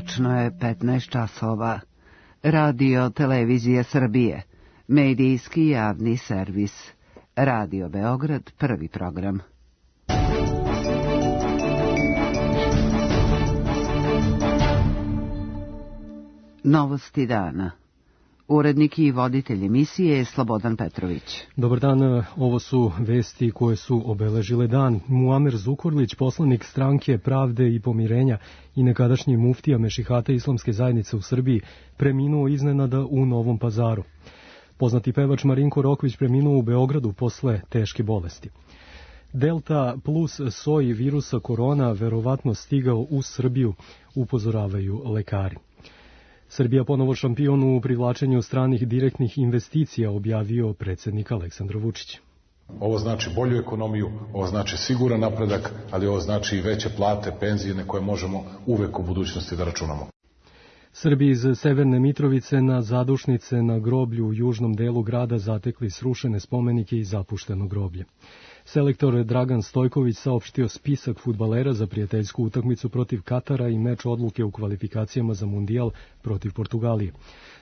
Tačno je 15 časova. Radio Televizije Srbije. Medijski javni servis. Radio Beograd, prvi program. Novosti dana. Urednik i voditelj emisije je Slobodan Petrović. Dobar dan, ovo su vesti koje su obeležile dan. Muamer Zukorlić, poslanik Stranke pravde i pomirenja i nekadašnji muftija Mešihata Islamske zajednice u Srbiji, preminuo iznenada u Novom Pazaru. Poznati pevač Marinko Rokvić preminuo u Beogradu posle teške bolesti. Delta plus soj virusa korona verovatno stigao u Srbiju, upozoravaju lekari. Srbija ponovo šampion u privlačenju stranih direktnih investicija, objavio predsjednik Aleksandar Vučić. Ovo znači bolju ekonomiju, ovo znači siguran napredak, ali ovo znači i veće plate, penzije na koje možemo uvek u budućnosti da računamo. Srbi iz Severne Mitrovice na zadušnice na groblju u južnom delu grada zatekli srušene spomenike i zapušteno groblje. Selektor Dragan Stojković saopštio spisak fudbalera za prijateljsku utakmicu protiv Katara i meč odluke u kvalifikacijama za mundijal protiv Portugalije.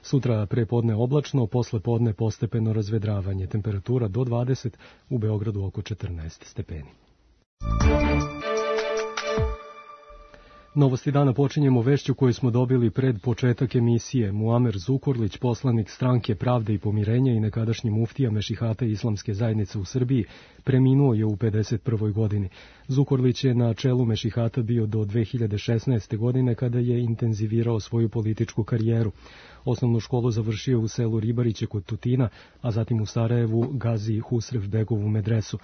Sutra prepodne oblačno, posle podne postepeno razvedravanje, temperatura do 20, u Beogradu oko 14 stepeni. Novosti dana počinjemo vešću koju smo dobili pred početak emisije. Muamer Zukorlić, poslanik Stranke pravde i pomirenja i nekadašnji muftija Mešihata Islamske zajednice u Srbiji, preminuo je u 51. godini. Zukorlić je na čelu Mešihata bio do 2016. godine kada je intenzivirao svoju političku karijeru. Osnovnu školu završio u selu Ribariće kod Tutina, a zatim u Sarajevu Gazi Husrev Begovu medresu.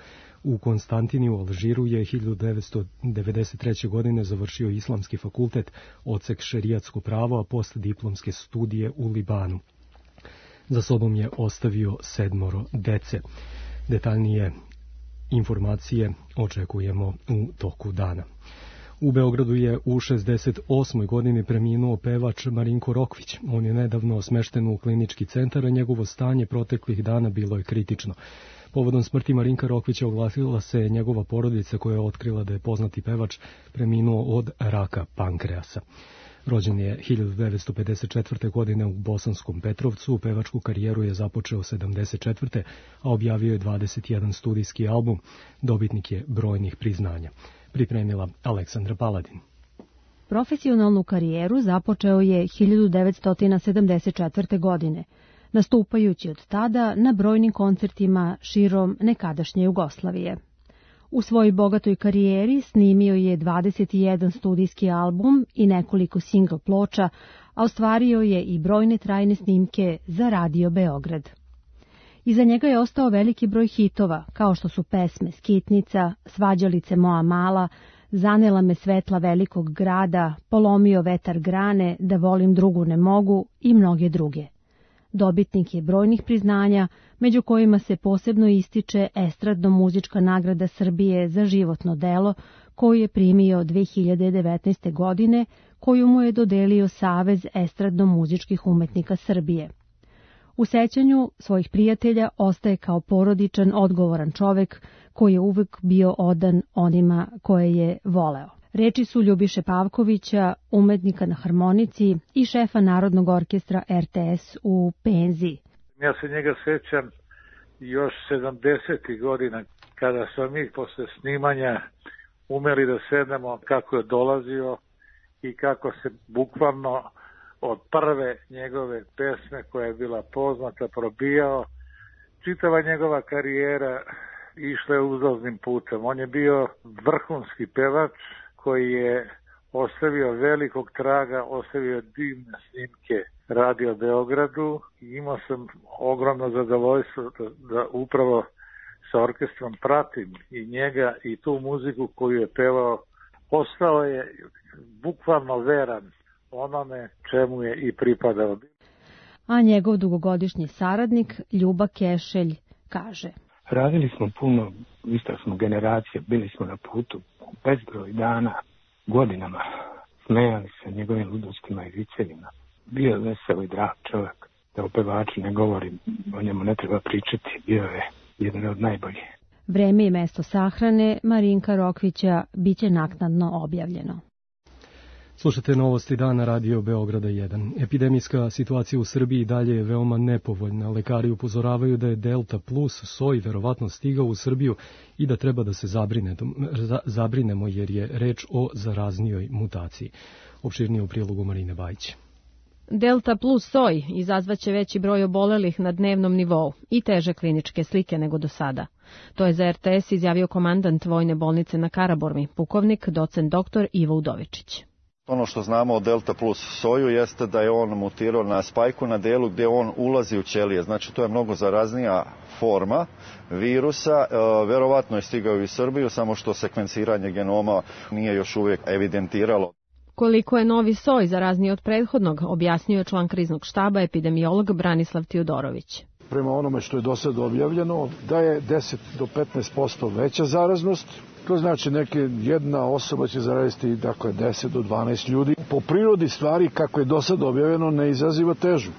U Konstantini u Alžiru je 1993. godine završio Islamski fakultet, odsek šerijatsko pravo, a postdiplomske studije u Libanu. Za sobom je ostavio 7 dece. Detaljnije informacije očekujemo u toku dana. U Beogradu je u 68. godini preminuo pevač Marinko Rokvić. On je nedavno smešten u klinički centar, a njegovo stanje proteklih dana bilo je kritično. Povodom smrti Marinka Rokvića oglasila se njegova porodica koja je otkrila da je poznati pevač preminuo od raka pankreasa. Rođen je 1954. godine u Bosanskom Petrovcu, pevačku karijeru je započeo 1974. a objavio je 21 studijski album, dobitnik je brojnih priznanja. Pripremila Aleksandra Paladin. Profesionalnu karijeru započeo je 1974. godine, nastupajući od tada na brojnim koncertima širom nekadašnje Jugoslavije. U svojoj bogatoj karijeri snimio je 21 studijski album i nekoliko singl ploča, a ostvario je i brojne trajne snimke za Radio Beograd. Iza njega je ostao veliki broj hitova, kao što su pesme Skitnica, Svađalice moja mala, Zanela me svetla velikog grada, Polomio vetar grane, Da volim drugu ne mogu i mnoge druge. Dobitnik je brojnih priznanja, među kojima se posebno ističe Estradno-muzička nagrada Srbije za životno delo, koju je primio 2019. godine, koju mu je dodelio Savez estradno-muzičkih umetnika Srbije. U sećanju svojih prijatelja ostaje kao porodičan, odgovoran čovek koji je uvek bio odan onima koje je voleo. Reči su Ljubiše Pavkovića, umetnika na harmonici i šefa Narodnog orkestra RTS u penziji. Ja se njega sećam još 70. godina, kada smo mi posle snimanja umeli da sednemo, kako je dolazio i kako se bukvalno od prve njegove pesme koja je bila poznata probijao. Čitava njegova karijera išla je uzlaznim putem. On je bio vrhunski pevač koji je ostavio velikog traga, ostavio divne snimke Radio Beogradu i imao sam ogromno zadovoljstvo da upravo sa orkestrom pratim i njega i tu muziku koju je pevao. Ostao je bukvalno veran onome čemu je i pripadao. A njegov dugogodišnji saradnik Ljuba Kešelj kaže: Radili smo puno, ista smo generacija, bili smo na putu bezbroj dana, godinama, smejali se njegovim ludostima i vicevima. Bio je vesel i drag čovjek, da o pevaču ne govorim, o njemu ne treba pričati, bio je jedan od najboljih. Vreme i mesto sahrane Marinka Rokvića biće naknadno objavljeno. Slušate Novosti dana, Radio Beograda 1. Epidemijska situacija u Srbiji dalje je veoma nepovoljna. Lekari upozoravaju da je Delta plus soj verovatno stigao u Srbiju i da treba da se zabrinemo jer je reč o zaraznijoj mutaciji. Opširnije u prilogu Marine Bajić. Delta plus soj izazvaće veći broj obolelih na dnevnom nivou i teže kliničke slike nego do sada. To je za RTS izjavio komandant Vojne bolnice na Karaburmi, pukovnik docent dr. Ivo Udovičić. Ono što znamo o Delta plus soju jeste da je on mutirao na spajku na delu gdje on ulazi u ćelije. Znači to je mnogo zaraznija forma virusa. Verovatno je stigao i u Srbiju, samo što sekvenciranje genoma nije još uvijek evidentiralo. Koliko je novi soj zarazniji od prethodnog, objasnio je član kriznog štaba epidemiolog Branislav Tijodorović. Prema onome što je do sada objavljeno, da je 10 do 15% veća zaraznost. To znači jedna osoba će zaraziti 10 do 12 ljudi. Po prirodi stvari, kako je do sada objavljeno, ne izaziva težu.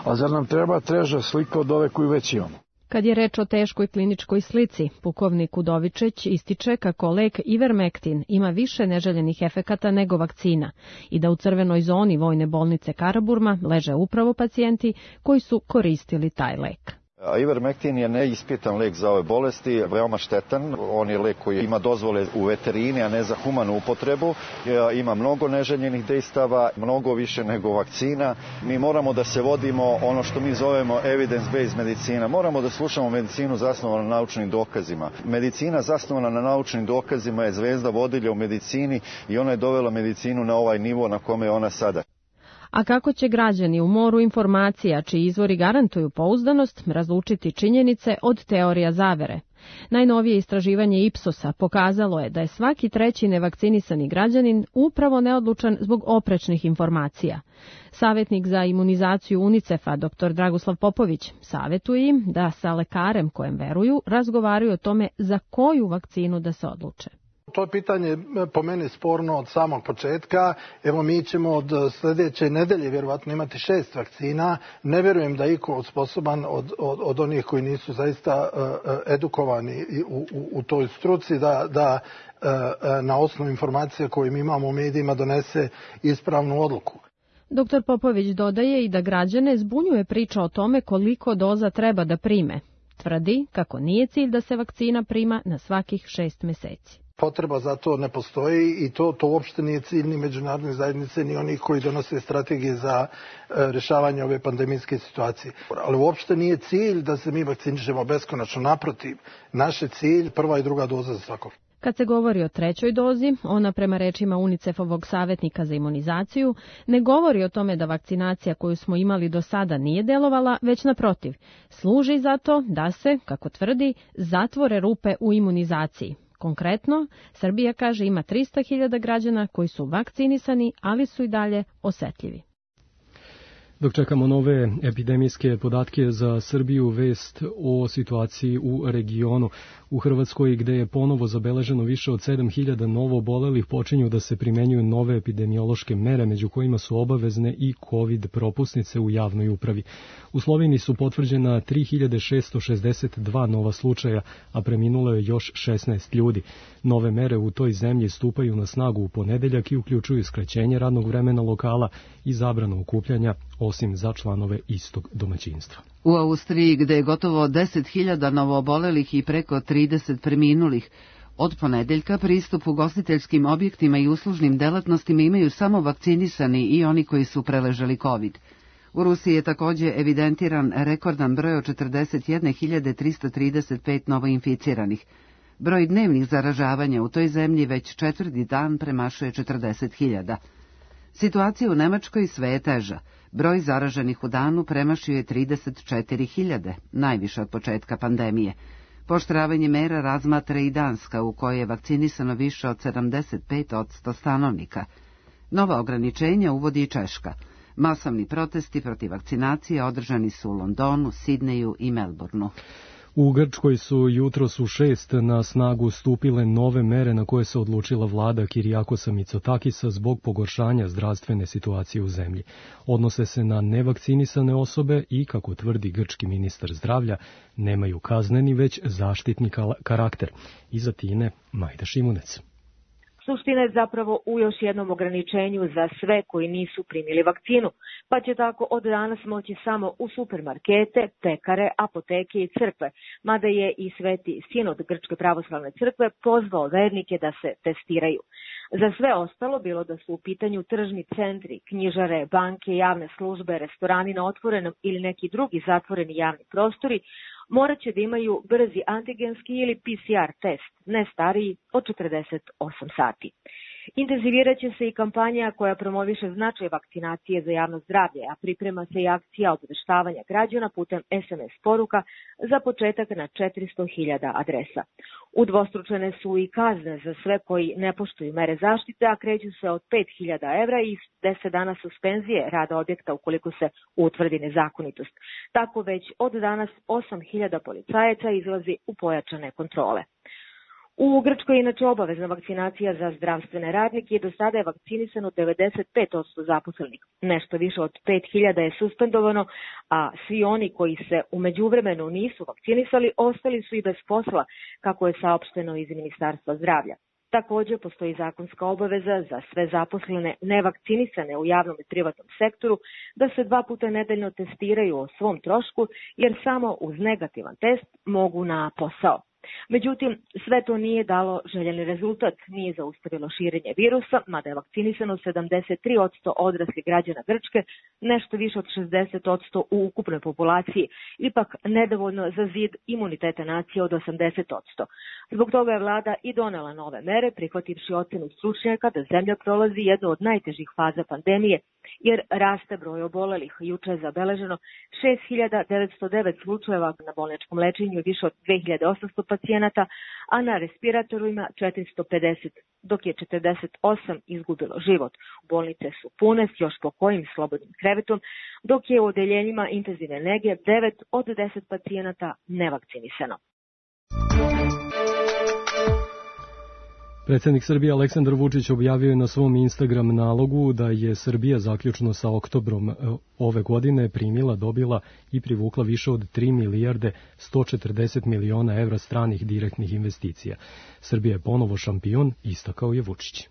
A zar nam treba teža slika od ove koju već imamo? Kad je reč o teškoj kliničkoj slici, pukovnik Udovičić ističe kako lek Ivermectin ima više neželjenih efekata nego vakcina i da u crvenoj zoni Vojne bolnice Karaburma leže upravo pacijenti koji su koristili taj lek. Ivermectin je neispitan lek za ove bolesti, veoma štetan. On je lek koji ima dozvole u veterini, a ne za humanu upotrebu. Ima mnogo neželjenih dejstava, mnogo više nego vakcina. Mi moramo da se vodimo ono što mi zovemo evidence-based medicina. Moramo da slušamo medicinu zasnovanu na naučnim dokazima. Medicina zasnovana na naučnim dokazima je zvezda vodilja u medicini i ona je dovela medicinu na ovaj nivo na kome je ona sada. A kako će građani u moru informacija, čiji izvori garantuju pouzdanost, razlučiti činjenice od teorija zavere? Najnovije istraživanje Ipsosa pokazalo je da je svaki treći nevakcinisani građanin upravo neodlučan zbog oprečnih informacija. Savjetnik za imunizaciju UNICEF-a, dr. Dragoslav Popović, savjetuje im da sa lekarem kojem veruju razgovaraju o tome za koju vakcinu da se odluče. To je pitanje po meni sporno od samog početka. Evo mi ćemo od sljedeće nedelje vjerovatno imati 6 vakcina. Ne vjerujem da je iko sposoban od onih koji nisu zaista edukovani u toj struci da na osnovu informacije koje mi imamo u medijima donese ispravnu odluku. Dr. Popović dodaje i da građane zbunjuje priča o tome koliko doza treba da prime. Tvrdi kako nije cilj da se vakcina prima na svakih 6 mjeseci. Potreba za to ne postoji i to uopšte nije cilj ni međunarodne zajednice ni onih koji donose strategije za rješavanje ove pandemijske situacije. Ali uopšte nije cilj da se mi vakcinišemo beskonačno, naprotiv. Naš je cilj prva i druga doza za svakog. Kad se govori o trećoj dozi, ona prema rečima UNICEF-ovog savjetnika za imunizaciju ne govori o tome da vakcinacija koju smo imali do sada nije delovala, već naprotiv, služi za to da se, kako tvrdi, zatvore rupe u imunizaciji. Konkretno, Srbija kaže ima 300.000 građana koji su vakcinisani, ali su i dalje osetljivi. Dok čekamo nove epidemijske podatke za Srbiju, vest o situaciji u regionu. U Hrvatskoj, gde je ponovo zabeleženo više od 7.000 novo obolelih, počinju da se primenjuju nove epidemiološke mere, među kojima su obavezne i COVID propusnice u javnoj upravi. U Sloveniji su potvrđena 3.662 nova slučaja, a preminulo je još 16 ljudi. Nove mere u toj zemlji stupaju na snagu u ponedeljak i uključuju skraćenje radnog vremena lokala i zabranu okupljanja, osim za članove istog domaćinstva. U Austriji, gde je gotovo 10.000 novoobolelih i preko 30 preminulih, od ponedeljka pristup ugostiteljskim objektima i uslužnim delatnostima imaju samo vakcinisani i oni koji su preležali COVID. U Rusiji je također evidentiran rekordan broj od 41.335 novoinficiranih. Broj dnevnih zaražavanja u toj zemlji već 4. dan premašuje 40.000. Situacija u Nemačkoj sve je teža. Broj zaraženih u danu premašio je 34.000, najviše od početka pandemije. Pooštravanje mera razmatra i Danska, u kojoj je vakcinisano više od 75% stanovnika. Nova ograničenja uvodi i Češka. Masovni protesti protiv vakcinacije održani su u Londonu, Sidneju i Melbourneu. U Grčkoj su jutros u 6 na snagu stupile nove mere na koje se odlučila vlada Kirijakosa Mitsotakisa zbog pogoršanja zdravstvene situacije u zemlji. Odnose se na nevakcinisane osobe i, kako tvrdi grčki ministar zdravlja, nemaju kazneni već zaštitni karakter. Iza Tine Majda Šimunec. Suština je zapravo u još jednom ograničenju za sve koji nisu primili vakcinu, pa će tako od danas moći samo u supermarkete, pekare, apoteke i crkve, mada je i Sveti Sinod Grčke pravoslavne crkve pozvao vernike da se testiraju. Za sve ostalo, bilo da su u pitanju tržni centri, knjižare, banke, javne službe, restorani na otvorenom ili neki drugi zatvoreni javni prostori, morat će da imaju brzi antigenski ili PCR test, ne stariji od 48 sati. Intenzivirat će se i kampanja koja promoviše značaj vakcinacije za javno zdravlje, a priprema se i akcija obaveštavanja građana putem SMS poruka za početak na 400.000 adresa. Udvostručene su i kazne za sve koji ne poštuju mere zaštite, a kreću se od 5.000 evra i 10 dana suspenzije rada objekta ukoliko se utvrdi nezakonitost. Tako već od danas 8.000 policajaca izlazi u pojačane kontrole. U Grčkoj je inače obavezna vakcinacija za zdravstvene radnike i do sada je vakcinisano 95% zaposlenih. Nešto više od 5.000 je suspendovano, a svi oni koji se u međuvremenu nisu vakcinisali ostali su i bez posla, kako je saopšteno iz Ministarstva zdravlja. Također postoji zakonska obaveza za sve zaposlene nevakcinisane u javnom i privatnom sektoru da se 2 puta nedeljno testiraju o svom trošku, jer samo uz negativan test mogu na posao. Međutim, sve to nije dalo željeni rezultat, nije zaustavilo širenje virusa, mada je vakcinisano 73% odraslih građana Grčke, nešto više od 60% u ukupnoj populaciji, ipak nedovoljno za zid imuniteta nacije od 80%. Zbog toga je vlada i donela nove mere, prihvativši ocenu stručnjaka da zemlja prolazi jednu od najtežih faza pandemije, jer raste broj obolelih. Juče je zabeleženo 6.909 slučajeva na bolničkom lečenju i više od 2.800 pacijenata, a na respiratorima 450, dok je 48 izgubilo život. Bolnice su pune s još po kojim slobodnim krevetom, dok je u odeljenjima intenzivne nege 9 od 10 pacijenata nevakcinisano. Predsjednik Srbije Aleksandar Vučić objavio je na svom Instagram nalogu da je Srbija zaključno sa oktobrom ove godine dobila i privukla više od 3 milijarde 140 miliona evra stranih direktnih investicija. Srbija je ponovo šampion, istakao je Vučić.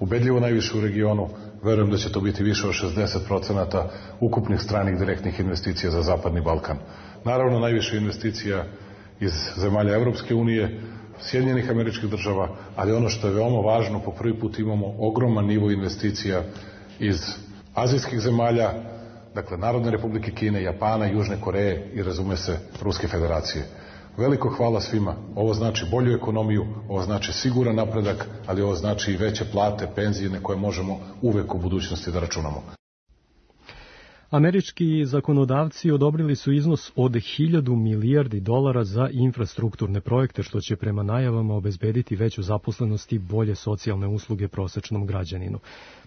Ubedljivo najviše u regionu, verujem da će to biti više od 60% ukupnih stranih direktnih investicija za Zapadni Balkan. Naravno, najviše investicija iz zemalja Evropske unije, Sjedinjenih Američkih Država, ali ono što je veoma važno, po prvi put imamo ogroman nivo investicija iz azijskih zemalja, dakle Narodne Republike Kine, Japana, Južne Koreje i, razume se, Ruske Federacije. Veliko hvala svima. Ovo znači bolju ekonomiju, ovo znači siguran napredak, ali ovo znači i veće plate, penzije na koje možemo uvek u budućnosti da računamo. Američki zakonodavci odobrili su iznos od 1.000 milijardi dolara za infrastrukturne projekte, što će prema najavama obezbediti veću zaposlenost i bolje socijalne usluge prosečnom građaninu.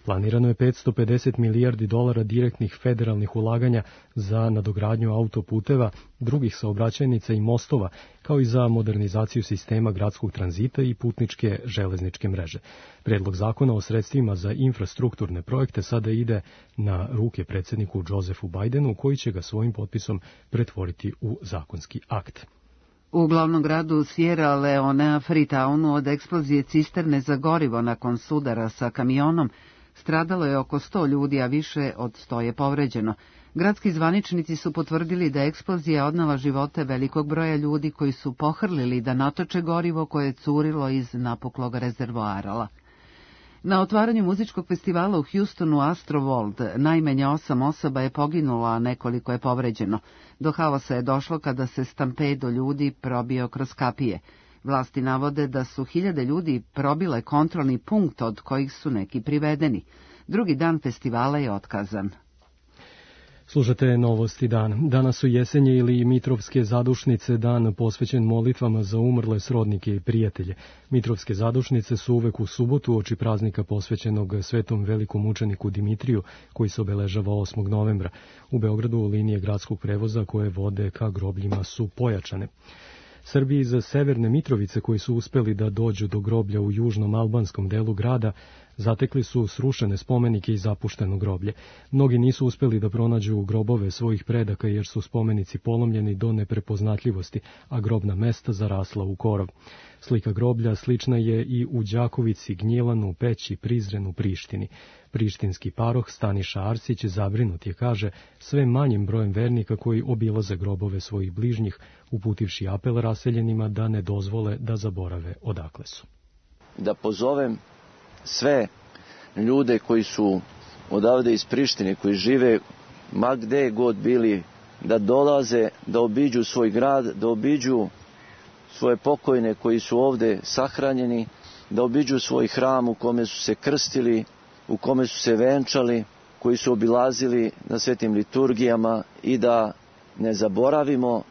Planirano je 550 milijardi dolara direktnih federalnih ulaganja za nadogradnju autoputeva, drugih saobraćajnica i mostova, kao i za modernizaciju sistema gradskog tranzita i putničke železničke mreže. Predlog zakona o sredstvima za infrastrukturne projekte sada ide na ruke predsjedniku Josefu Bidenu, koji će ga svojim potpisom pretvoriti u zakonski akt. U glavnom gradu Sierra Leonea, Freetownu, od eksplozije cisterne za gorivo nakon sudara sa kamionom stradalo je oko 100 ljudi, a više od 100 je povređeno. Gradski zvaničnici su potvrdili da je eksplozija odnela živote velikog broja ljudi koji su pohrlili da natoče gorivo koje je curilo iz napuklog rezervoara. Na otvaranju muzičkog festivala u Houstonu Astroworld najmanje 8 osoba je poginulo, a nekoliko je povređeno. Do haosa je došlo kada se stampedo ljudi probio kroz kapije. Vlasti navode da su 1000 ljudi probile kontrolni punkt od kojih su neki privedeni. Drugi dan festivala je otkazan. Slušate Novosti dan. Danas su Jesenje ili Mitrovske zadušnice, dan posvećen molitvama za umrle srodnike i prijatelje. Mitrovske zadušnice su uvek u subotu oči praznika posvećenog svetom velikom mučeniku Dimitriju, koji se obeležava 8. novembra. U Beogradu linije gradskog prevoza koje vode ka grobljima su pojačane. Srbi iz Severne Mitrovice koji su uspeli da dođu do groblja u južnom albanskom delu grada Zatekli su srušene spomenike i zapušteno groblje. Mnogi nisu uspeli da pronađu grobove svojih predaka jer su spomenici polomljeni do neprepoznatljivosti, a grobna mesta zarasla u korov. Slika groblja slična je i u Đakovici, Gnjilanu, Peći, Prizrenu, Prištini. Prištinski paroh Staniša Arsić zabrinut je, kaže, sve manjim brojem vernika koji obilaze grobove svojih bližnjih, uputivši apel raseljenima da ne dozvole da zaborave odakle su. Da pozovem sve ljude koji su odavde iz Prištine, koji žive ma gde god bili, da dolaze, da obiđu svoj grad, da obiđu svoje pokojne koji su ovde sahranjeni, da obiđu svoj hram u kome su se krstili, u kome su se venčali, koji su obilazili na svetim liturgijama i da ne zaboravimo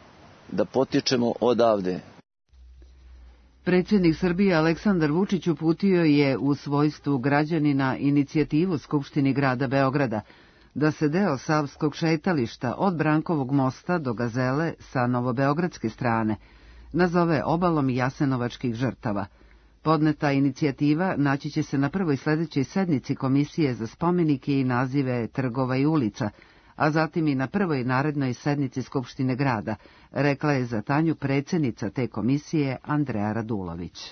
da potičemo odavde. Predsjednik Srbije Aleksandar Vučić uputio je u svojstvu građanina inicijativu Skupštini grada Beograda da se deo Savskog šetališta od Brankovog mosta do Gazele sa novobeogradske strane nazove obalom jasenovačkih žrtava. Podneta inicijativa naći će se na prvoj sledećoj sednici Komisije za spomenike i nazive trgova i ulica, a zatim i na prvoj narednoj sednici Skupštine grada, rekla je za Tanju predsjednica te komisije Andreja Radulović.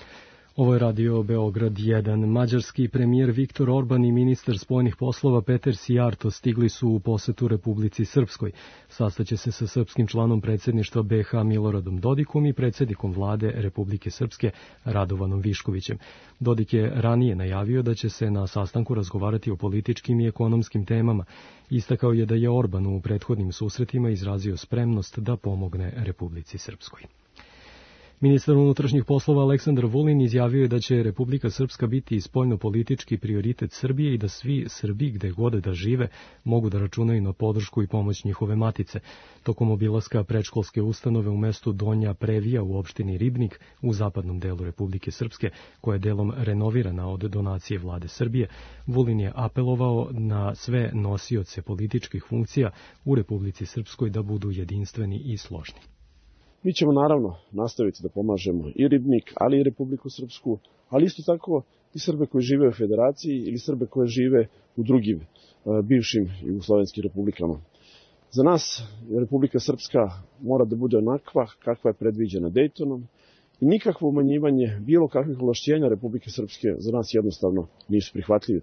Ovo je Radio Beograd 1. Mađarski premijer Viktor Orban i ministar spoljnih poslova Peter Sijarto stigli su u posetu Republici Srpskoj. Sastaće se sa srpskim članom predsjedništva BiH Miloradom Dodikom i predsjednikom vlade Republike Srpske Radovanom Viškovićem. Dodik je ranije najavio da će se na sastanku razgovarati o političkim i ekonomskim temama. Istakao je da je Orban u prethodnim susretima izrazio spremnost da pomogne Republici Srpskoj. Ministar unutrašnjih poslova Aleksandar Vulin izjavio je da će Republika Srpska biti spoljnopolitički prioritet Srbije i da svi Srbi gde god da žive mogu da računaju na podršku i pomoć njihove matice. Tokom obilaska predškolske ustanove u mestu Donja Previja u opštini Ribnik u zapadnom delu Republike Srpske, koja je delom renovirana od donacije vlade Srbije, Vulin je apelovao na sve nosioce političkih funkcija u Republici Srpskoj da budu jedinstveni i složni. Mi ćemo naravno nastaviti da pomažemo i Ribnik, ali i Republiku Srpsku, ali isto tako i Srbe koji žive u Federaciji ili Srbe koji žive u drugim bivšim jugoslovenskim republikama. Za nas Republika Srpska mora da bude onakva kakva je predviđena Dejtonom i nikakvo umanjivanje bilo kakvih ovlašćenja Republike Srpske za nas jednostavno nisu prihvatljive.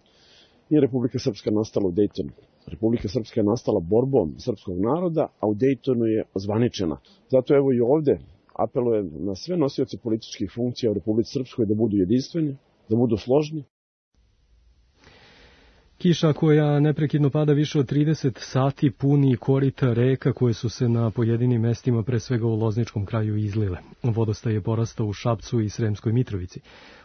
Nije Republika Srpska nastala u Dejtonu. Republika Srpska je nastala borbom srpskog naroda, a u Dejtonu je ozvaničena. Zato evo i ovde apelujem na sve nosioce političkih funkcija u Republici Srpskoj da budu jedinstveni, da budu složni. Kiša koja neprekidno pada više od 30 sati puni korita reka koje su se na pojedinim mestima, pre svega u Lozničkom kraju, izlile. Vodostaj je porastao u Šapcu i Sremskoj Mitrovici.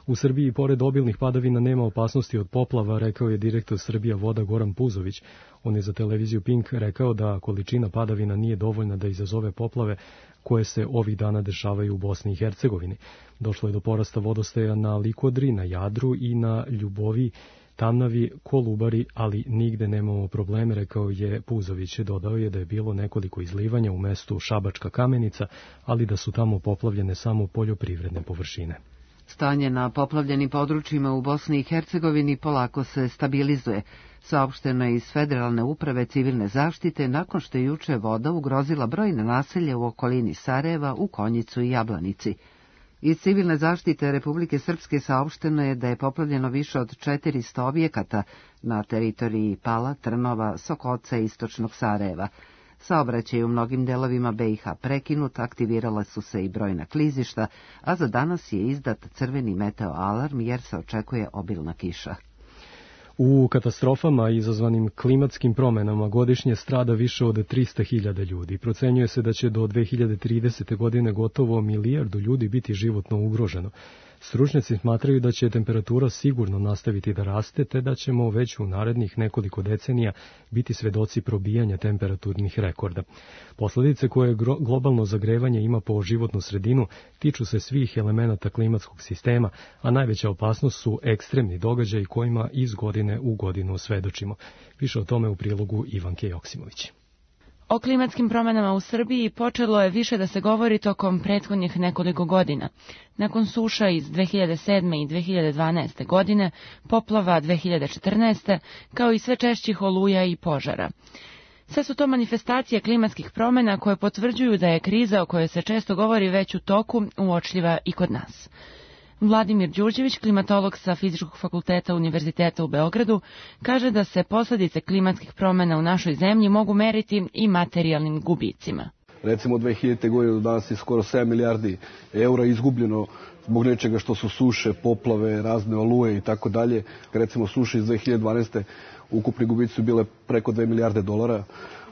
U Srbiji, pored obilnih padavina, nema opasnosti od poplava, rekao je direktor Srbija voda Goran Puzović. On je za televiziju Pink rekao da količina padavina nije dovoljna da izazove poplave koje se ovih dana dešavaju u Bosni i Hercegovini. Došlo je do porasta vodostaja na Likodri, na Jadru i na Ljubovi, Tamnavi, Kolubari, ali nigde nemamo probleme, rekao je Puzović. Dodao je da je bilo nekoliko izlivanja u mestu Šabačka Kamenica, ali da su tamo poplavljene samo poljoprivredne površine. Stanje na poplavljenim područjima u Bosni i Hercegovini polako se stabilizuje. Saopšteno je iz Federalne uprave civilne zaštite nakon što je juče voda ugrozila brojne naselje u okolini Sarajeva, u Konjicu i Jablanici. Iz civilne zaštite Republike Srpske saopšteno je da je poplavljeno više od 400 objekata na teritoriji Pala, Trnova, Sokoca i istočnog Sarajeva. Saobraćaj u mnogim delovima BiH prekinut, aktivirala su se i brojna klizišta, a za danas je izdat crveni meteo alarm jer se očekuje obilna kiša. U katastrofama izazvanim klimatskim promenama godišnje strada više od 300.000 ljudi. Procenjuje se da će do 2030. godine gotovo 1 milijardu ljudi biti životno ugroženo. Stručnjaci smatraju da će temperatura sigurno nastaviti da raste, te da ćemo već u narednih nekoliko decenija biti svedoci probijanja temperaturnih rekorda. Posledice koje globalno zagrevanje ima po životnu sredinu tiču se svih elemenata klimatskog sistema, a najveća opasnost su ekstremni događaji kojima iz godine u godinu svedočimo. Više o tome u prilogu Ivanke Joksimović. O klimatskim promjenama u Srbiji počelo je više da se govori tokom prethodnih nekoliko godina. Nakon suša iz 2007. i 2012. godine, poplava 2014. kao i sve češćih oluja i požara. Sve su to manifestacije klimatskih promjena koje potvrđuju da je kriza o kojoj se često govori već u toku uočljiva i kod nas. Vladimir Đurđević, klimatolog sa Fizičkog fakulteta Univerziteta u Beogradu, kaže da se posljedice klimatskih promjena u našoj zemlji mogu meriti i materijalnim gubicima. Recimo od 2000. godine do danas je skoro 7 milijardi eura izgubljeno zbog nečega što su suše, poplave, razne oluje i tako dalje. Recimo suše iz 2012. ukupni gubici su bile preko 2 milijarde dolara.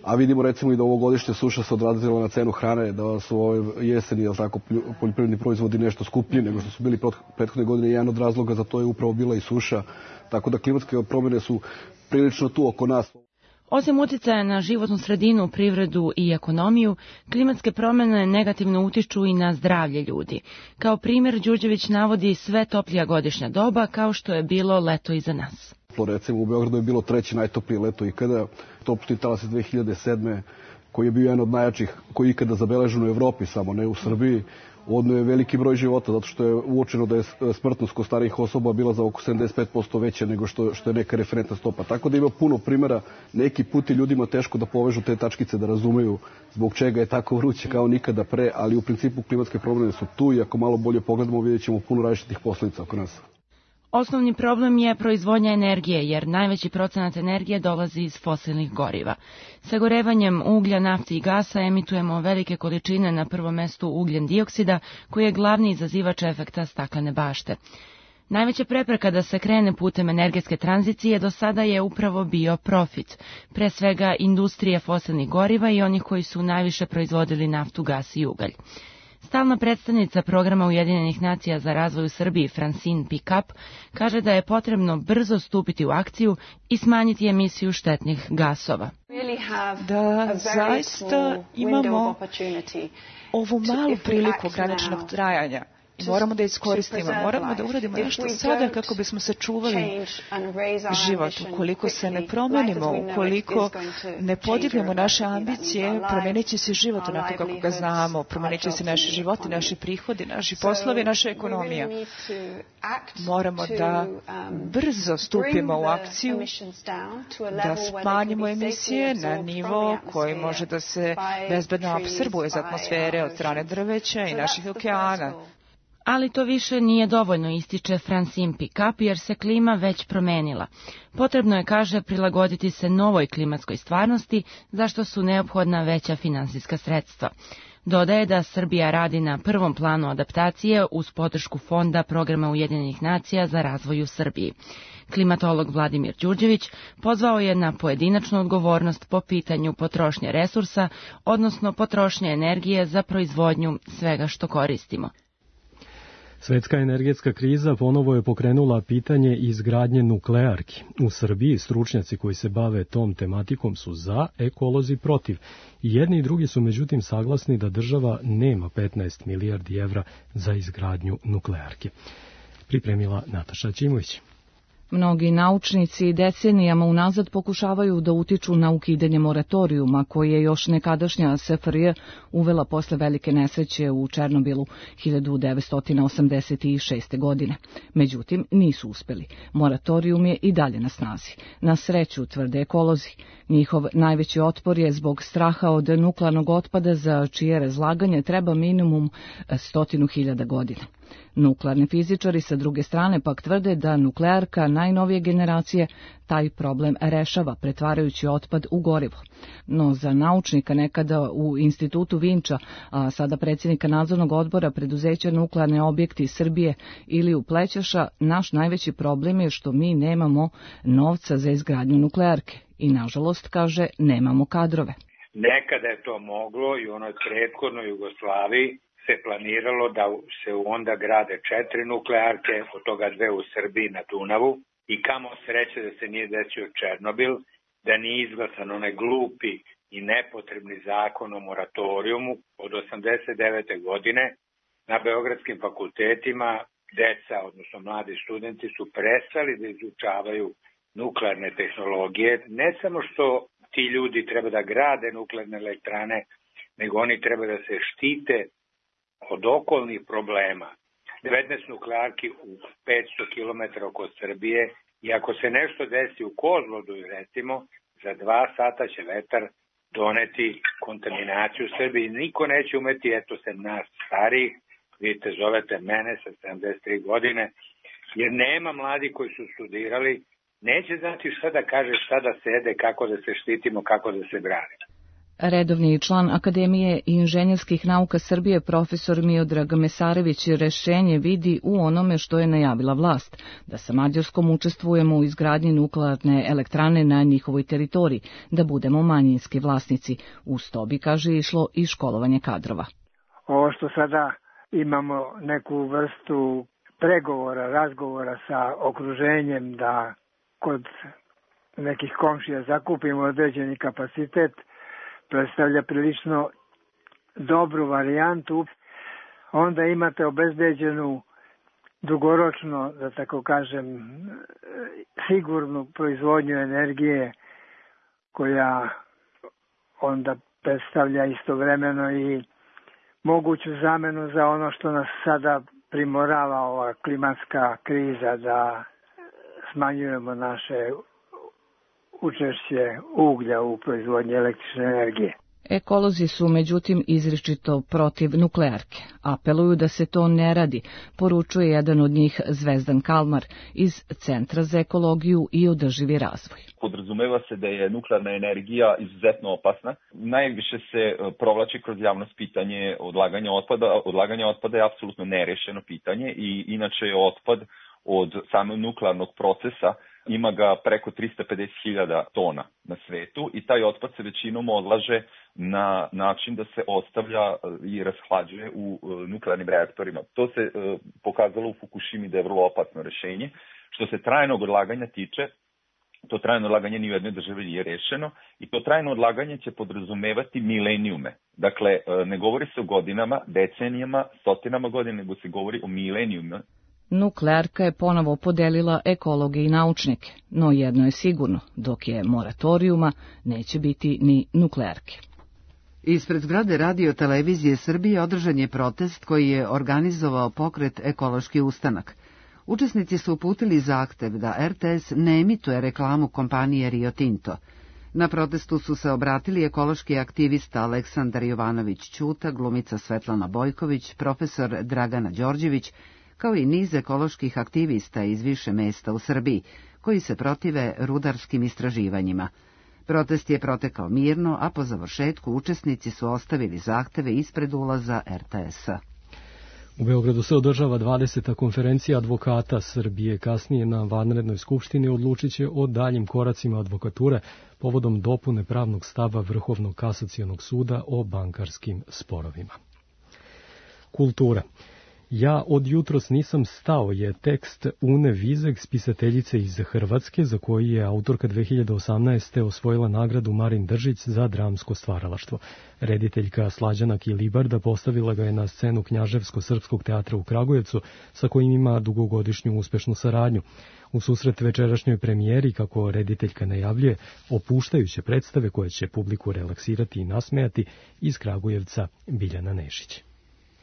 A vidimo recimo i da ovogodišnja suša se odrazila na cenu hrane, da su ove jeseni, jel tako, poljoprivredni proizvodi nešto skuplji nego što su bili prethodne godine. Jedan od razloga za to je upravo bila i suša. Tako da klimatske promjene su prilično tu oko nas. Osim utjecaja na životnu sredinu, privredu i ekonomiju, klimatske promjene negativno utiču i na zdravlje ljudi. Kao primjer, Đurđević navodi sve toplija godišnja doba, kao što je bilo leto iza nas. Recimo u Beogradu je bilo 3. najtoplije leto ikada, topli talas iz 2007. koji je bio jedan od najjačih koji je ikada zabeležen u Evropi, samo ne u Srbiji. Odno je veliki broj života, zato što je uočeno da je smrtnost kod starijih osoba bila za oko 75% veća nego što je neka referentna stopa. Tako da ima puno primjera, neki put je ljudima teško da povežu te tačkice, da razumeju zbog čega je tako vruće kao nikada pre, ali u principu klimatske promjene su tu i ako malo bolje pogledamo vidjet ćemo puno različitih posljedica oko nas. Osnovni problem je proizvodnja energije, jer najveći procenat energije dolazi iz fosilnih goriva. Sagorevanjem uglja, nafte i gasa emitujemo velike količine, na prvom mestu ugljen dioksida, koji je glavni izazivač efekta staklene bašte. Najveća prepreka da se krene putem energetske tranzicije do sada je upravo bio profit, pre svega industrije fosilnih goriva i onih koji su najviše proizvodili naftu, gas i ugalj. Stalna predstavnica programa Ujedinjenih nacija za razvoj u Srbiji, Francine Pickup, kaže da je potrebno brzo stupiti u akciju i smanjiti emisiju štetnih gasova. Da zaista imamo ovu malu priliku ograničenog trajanja. Moramo da iskoristimo, moramo da uradimo nešto sada kako bismo sačuvali život. Ukoliko se ne promenimo, ukoliko ne podignemo naše ambicije, promenit će se život onako kako ga znamo, promenit će se naši životi, naši prihodi, naši poslovi, naša ekonomija. Moramo da brzo stupimo u akciju, da smanjimo emisije na nivo koji može da se bezbedno apsorbuje iz atmosfere od strane drveća i naših okeana. Ali to više nije dovoljno, ističe Francine Pickup, jer se klima već promenila. Potrebno je, kaže, prilagoditi se novoj klimatskoj stvarnosti, za što su neophodna veća finansijska sredstva. Dodaje da Srbija radi na prvom planu adaptacije uz podršku Fonda Programa Ujedinjenih nacija za razvoj u Srbiji. Klimatolog Vladimir Đurđević pozvao je na pojedinačnu odgovornost po pitanju potrošnje resursa, odnosno potrošnje energije za proizvodnju svega što koristimo. Svetska energetska kriza ponovo je pokrenula pitanje izgradnje nuklearki. U Srbiji stručnjaci koji se bave tom tematikom su za, ekolozi protiv. Jedni i drugi su međutim saglasni da država nema 15 milijardi evra za izgradnju nuklearke. Pripremila Nataša Ćimović. Mnogi naučnici decenijama unazad pokušavaju da utiču na ukidanje moratorijuma koji je još nekadašnja SFRJ uvela posle velike nesreće u Černobilu 1986. godine. Međutim, nisu uspeli. Moratorijum je i dalje na snazi. Na sreću, tvrde ekolozi. Njihov najveći otpor je zbog straha od nuklearnog otpada za čije razlaganje treba minimum 100.000 godina. Nuklearni fizičari sa druge strane pak tvrde da nuklearka najnovije generacije taj problem rešava pretvarajući otpad u gorivo. No za naučnika nekada u institutu Vinča, a sada predsjednika nadzornog odbora preduzeća Nuklearne objekti Srbije ili u Plećaša, naš najveći problem je što mi nemamo novca za izgradnju nuklearke i nažalost, kaže, nemamo kadrove. Nekada je to moglo i u onoj prethodnoj Jugoslaviji se planiralo da se onda grade 4 nuklearke, od toga 2 u Srbiji na Dunavu, i kamo sreće da se nije desio Černobil, da nije izglasan onaj glupi i nepotrebni zakon o moratorijumu od 89. godine. Na beogradskim fakultetima deca, odnosno mladi studenti, su prestali da izučavaju nuklearne tehnologije, ne samo što ti ti ljudi treba da grade nuklearne elektrane, nego oni treba da se štite od okolnih problema. 19 nuklearki u 500 km oko Srbije i ako se nešto desi u Kozlodu, recimo, za 2 sata će vetar doneti kontaminaciju u Srbiji. Niko neće umeti, eto sem nas starih, vidite, zovete mene sa 73 godine, jer nema mladi koji su studirali, neće znati šta da kaže, šta da sede, kako da se štitimo, kako da se branimo. Redovni član Akademije inženjerskih nauka Srbije profesor Miodrag Mesarević rešenje vidi u onome što je najavila vlast, da sa Mađarskom učestvujemo u izgradnji nuklearne elektrane na njihovoj teritoriji, da budemo manjinski vlasnici. Uz to bi, kaže, išlo i školovanje kadrova. Ovo što sada imamo neku vrstu pregovora, razgovora sa okruženjem da kod nekih komšija zakupimo određeni kapacitet, predstavlja prilično dobru varijantu. Onda imate obezbeđenu dugoročno, da tako kažem, sigurnu proizvodnju energije koja onda predstavlja istovremeno i moguću zamenu za ono što nas sada primorava ova klimatska kriza, da smanjujemo naše učešće uglja u proizvodnji električne energije. Ekolozi su međutim izričito protiv nuklearke. Apeluju da se to ne radi, poručuje jedan od njih Zvezdan Kalmar iz Centra za ekologiju i održivi razvoj. Podrazumeva se da je nuklearna energija izuzetno opasna. Najviše se provlači kroz javnost pitanje odlaganja otpada. Odlaganje otpada je apsolutno nerešeno pitanje i inače je otpad od samog nuklearnog procesa ima ga preko 350.000 tona na svetu i taj otpad se većinom odlaže na način da se ostavlja i rashlađuje u nuklearnim reaktorima. To se pokazalo u Fukushimi da je vrlo opasno rešenje. Što se trajnog odlaganja tiče, to trajno odlaganje ni u jednoj državi nije rešeno i to trajno odlaganje će podrazumevati milenijume. Dakle, ne govori se o godinama, decenijama, stotinama godina, nego se govori o milenijuma. Nuklearka je ponovo podelila ekologe i naučnike, no jedno je sigurno, dok je moratorijuma, neće biti ni nuklearke. Ispred zgrade Radio Televizije Srbije održan je protest koji je organizovao pokret Ekološki ustanak. Učesnici su uputili zahtev da RTS ne emituje reklamu kompanije Rio Tinto. Na protestu su se obratili ekološki aktivista Aleksandar Jovanović Ćuta, glumica Svetlana Bojković, profesor Dragana Đorđević, kao i niz ekoloških aktivista iz više mesta u Srbiji, koji se protive rudarskim istraživanjima. Protest je protekao mirno, a po završetku učesnici su ostavili zahteve ispred ulaza RTS-a. U Beogradu se održava 20. konferencija advokata Srbije. Kasnije na vanrednoj skupštini odlučit će o daljim koracima advokature povodom dopune pravnog stava Vrhovnog kasacionog suda o bankarskim sporovima. Kultura. Ja od jutros nisam stao je tekst Une Vizek, spisateljice iz Hrvatske, za koji je autorka 2018. osvojila nagradu Marin Držić za dramsko stvaralaštvo. Rediteljka Slađana Kilibarda postavila ga je na scenu Knjaževsko-srpskog teatra u Kragujevcu, sa kojim ima dugogodišnju uspešnu saradnju. U susret večerašnjoj premijeri, kako rediteljka najavljuje, opuštajuće predstave koje će publiku relaksirati i nasmejati, iz Kragujevca Biljana Nešić.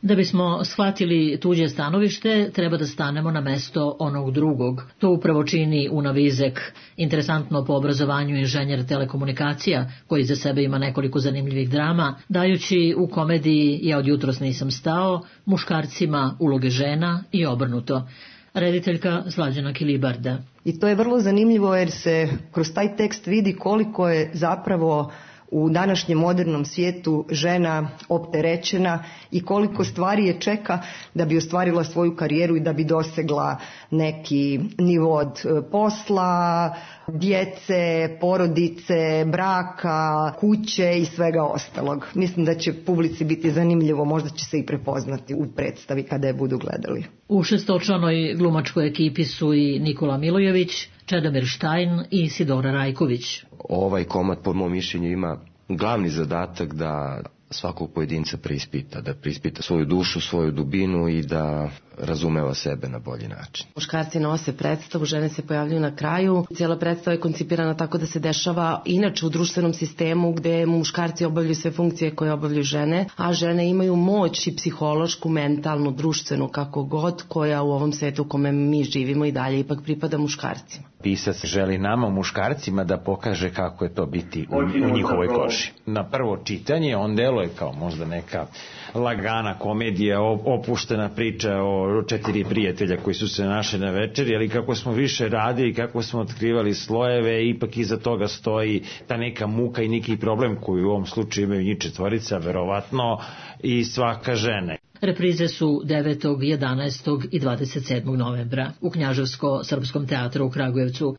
Da bismo shvatili tuđe stanovište, treba da stanemo na mesto onog drugog. To upravo čini Una Vizek, interesantno po obrazovanju inženjer telekomunikacija, koji za sebe ima nekoliko zanimljivih drama, dajući u komediji Ja od jutros nisam stao muškarcima uloge žena i obrnuto. Rediteljka Slađana Kilibarda. I to je vrlo zanimljivo jer se kroz taj tekst vidi koliko je zapravo u današnjem modernom svijetu žena opterećena i koliko stvari je čeka da bi ostvarila svoju karijeru i da bi dosegla neki nivo od posla, djece, porodice, braka, kuće i svega ostalog. Mislim da će publici biti zanimljivo, možda će se i prepoznati u predstavi kada je budu gledali. U šestočlanoj glumačkoj ekipi su i Nikola Milojević, Čedomir Štajn i Sidora Rajković. Ovaj komad, po mom mišljenju, ima glavni zadatak da svakog pojedinca preispita, da preispita svoju dušu, svoju dubinu i da razumeva sebe na bolji način. Muškarci nose predstavu, žene se pojavljuju na kraju. Cijela predstava je koncipirana tako da se dešava inače u društvenom sistemu gde muškarci obavljaju sve funkcije koje obavljaju žene, a žene imaju moć i psihološku, mentalnu, društvenu, kako god, koja u ovom svetu u kome mi živimo i dalje ipak pripada muškarcima. Pisac želi nama, muškarcima, da pokaže kako je to biti u njihovoj koži. Na prvo čitanje on deluje kao možda neka lagana komedija, opuštena priča o 4 prijatelja koji su se našli na večeri, ali kako smo više radili, kako smo otkrivali slojeve, ipak iza toga stoji ta neka muka i neki problem koji u ovom slučaju imaju njih četvorica, verovatno i svaka žena. Reprize su 9., 11. i 27. novembra u Knjaževsko-srpskom teatru u Kragujevcu.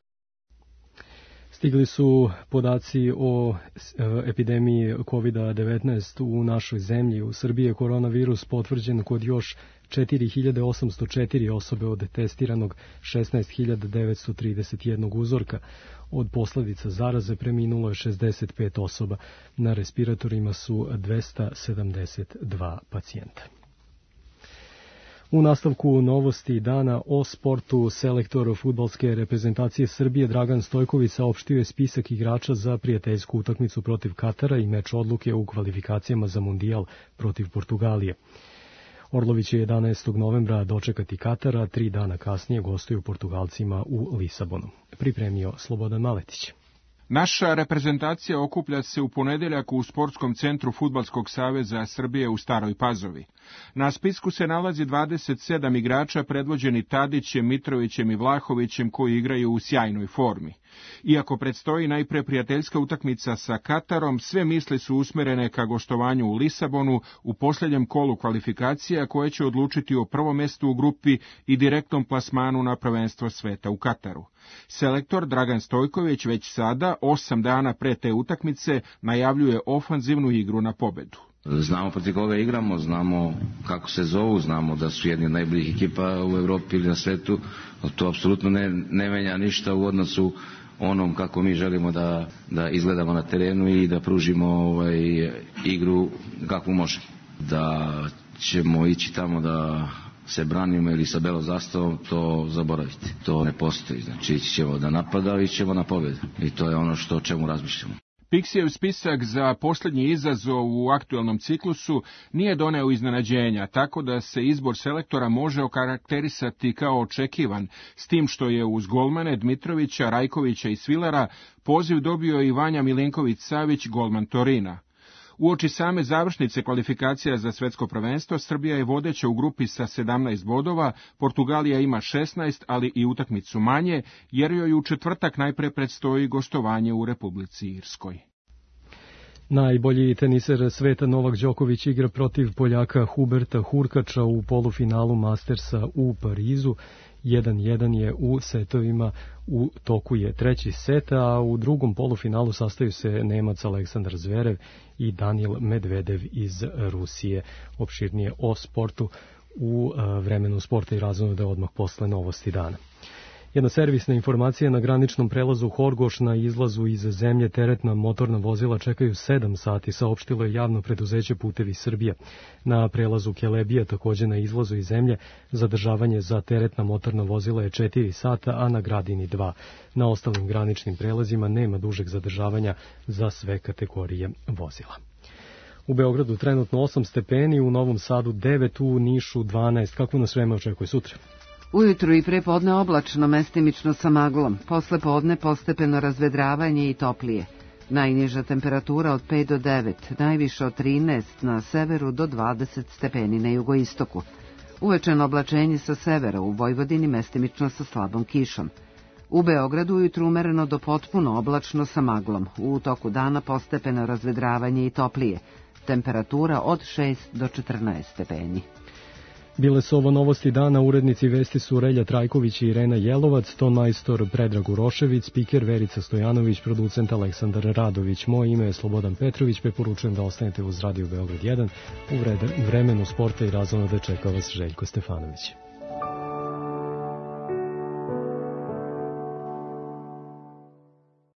Stigli su podaci o epidemiji COVID-19 u našoj zemlji. U Srbiji je koronavirus potvrđen kod još 4.804 osobe od testiranog 16.931 uzorka. Od posledica zaraze preminulo je 65 osoba. Na respiratorima su 272 pacijenta. U nastavku novosti dana o sportu, selektor fudbalske reprezentacije Srbije Dragan Stojković saopštio je spisak igrača za prijateljsku utakmicu protiv Katara i meč odluke u kvalifikacijama za Mundijal protiv Portugalije. Orlović je 11. novembra dočekati Katara, 3 dana kasnije gostuju Portugalcima u Lisabonu. Pripremio Slobodan Maletić. Naša reprezentacija okuplja se u ponedeljak u Sportskom centru Fudbalskog saveza Srbije u Staroj Pazovi. Na spisku se nalazi 27 igrača predvođeni Tadićem, Mitrovićem i Vlahovićem koji igraju u sjajnoj formi. Iako predstoji najpre prijateljska utakmica sa Katarom, sve misli su usmerene ka gostovanju u Lisabonu u posljednjem kolu kvalifikacija koje će odlučiti o prvom mestu u grupi i direktnom plasmanu na prvenstvo sveta u Kataru. Selektor Dragan Stojković već sada, 8 dana pre te utakmice, najavljuje ofanzivnu igru na pobedu. Znamo protiv koga igramo, znamo kako se zovu, znamo da su jedni od najboljih ekipa u Evropi ili na svetu. To apsolutno ne menja ništa u odnosu onom kako mi želimo da izgledamo na terenu i da pružimo igru kakvu možemo. Da ćemo ići tamo da se branimo ili sa belom zastavom, to zaboravite. To ne postoji. Znači ići ćemo da napada, ići ćemo na pobedu. I to je ono o čemu razmišljamo. Piksijev spisak za posljednji izazov u aktuelnom ciklusu nije doneo iznenađenja, tako da se izbor selektora može okarakterisati kao očekivan, s tim što je uz golmane Dmitrovića, Rajkovića i Svilera poziv dobio i Vanja Milinković-Savić, golman Torina. Uoči same završnice kvalifikacija za svetsko prvenstvo, Srbija je vodeća u grupi sa 17 bodova, Portugalija ima 16, ali i utakmicu manje, jer joj u četvrtak najpre predstoji gostovanje u Republici Irskoj. Najbolji teniser sveta Novak Đoković igra protiv Poljaka Huberta Hurkača u polufinalu Mastersa u Parizu. 1-1 je u setovima, u toku je treći set, a u drugom polufinalu sastaju se Nemac Aleksandar Zverev i Danil Medvedev iz Rusije. Opširnije o sportu u vremenu sporta i razonode odmah posle novosti dana. Jedna servisna informacija: na graničnom prelazu Horgoš na izlazu iz zemlje teretna motorna vozila čekaju 7 sati, saopštilo je javno preduzeće Putevi Srbije. Na prelazu Kelebija, također na izlazu iz zemlje, zadržavanje za teretna motorna vozila je 4 sata, a na Gradini 2. Na ostalim graničnim prelazima nema dužeg zadržavanja za sve kategorije vozila. U Beogradu trenutno 8 stepeni, u Novom Sadu 9, u Nišu 12. Kako nas vreme očekuje sutra? Ujutru i prepodne oblačno, mestimično sa maglom. Posle podne postepeno razvedravanje i toplije. Najniža temperatura od 5 do 9, najviše od 13 na severu do 20 stepeni na jugoistoku. Uvečeno oblačenje sa severa, u Vojvodini mestimično sa slabom kišom. U Beogradu ujutru umereno do potpuno oblačno sa maglom. U toku dana postepeno razvedravanje i toplije. Temperatura od 6 do 14 stepeni. Bile su ovo novosti dana, urednici vesti su Relja Trajković i Irena Jelovac, ton majstor Predrag Urošević, spiker Verica Stojanović, producent Aleksandar Radović. Moje ime je Slobodan Petrović, preporučujem da ostanete uz Radio Beograd 1. U vremenu sporta i razonode čeka vas Željko Stefanović.